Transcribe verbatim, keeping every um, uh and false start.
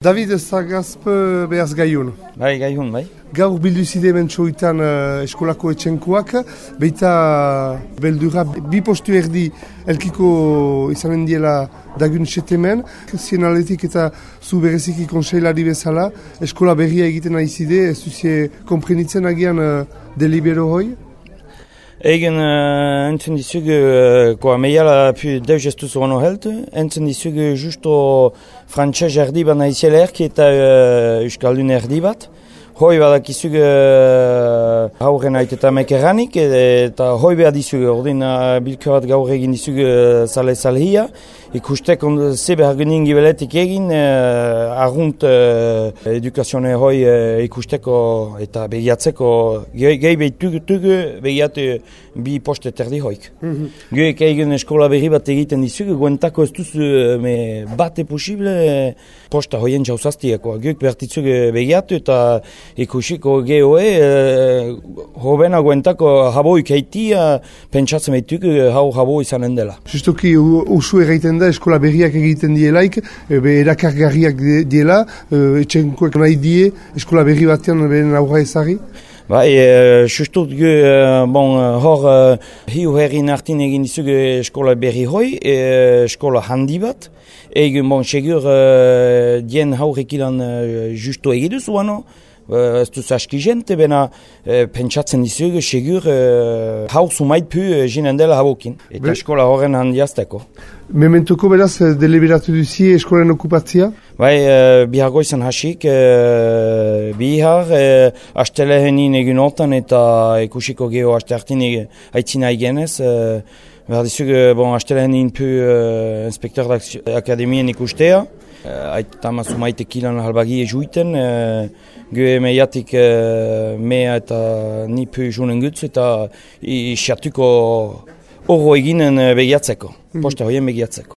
David Zagazp behaz gaiun. Bai, gaiun, bai. Gaur bildu zide mentxoitan uh, eskolako etxenkoak, beita beldura bi postu erdi elkiko izanen diela dagun setemen. Zien aletik eta zu bereziki konseilari bezala, eskola berria egiten nahi zide, ez duzie komprenitzen agian uh, delibero hoi? Egen uh, entzun dizug, uh, koa meiala pu deus ez duzu ono helt, entzun dizug justo frantxez erdi bat nahiziela erki eta uh, euskaldun erdi bat. Hoi badakizug uh, hauren aiteta mekerranik eta hoi behar dizug, ordin uh, bilkarat gaur egin dizug uh, sale salhia. Ikustek on ze behar genin gibeletik egin, uh, argunt uh, edukazione hoi uh, ikusteko eta begiatzeko gehi behitug begiatu bi poste terdi hoik. Mm-hmm. Geek egin eskola berri bat egiten dizug, guentako ez duz me bate posible posta hoien jauzaztiako. Geek bertitzug begiatu eta ikusiko gehoe uh, hobena guentako haboik heitia pentsatzen behitug hau habo izanen dela. Justoki usu erraiten da eskola berriak egiten dielaik, be erakargarriak diela, etxenkoek nahi die eskola berri batean beren aurra ezari? Bai, e, justut gu, e, bon, hor e, hiu herrin hartin egin dizug eskola berri hoi, e, eskola handi bat, egin bon segur e, dien haurekilan e, justo egiduz uano, ez duz aski jente, bena e, pentsatzen dizug segur e, hau sumait pu e, jinen dela haukin, eta Be eskola horren handiazteko. Mementuko beraz deliberatu duzi eskolen okupatzia? Bai, e, bihar goizan hasik, e, bihar, e, astelehenin egin hortan eta ikusiko geho aste hartin haitzina egenez. E, behar dizug, bon, astelehenin pu e, inspektor akademien ikustea. E, Aita mazumaite kilan halbagi ejuiten. E, Gue meiatik e, mea eta ni pu junen gutz eta isiatuko horro eginen begiatzeko, posta hoien begiatzeko.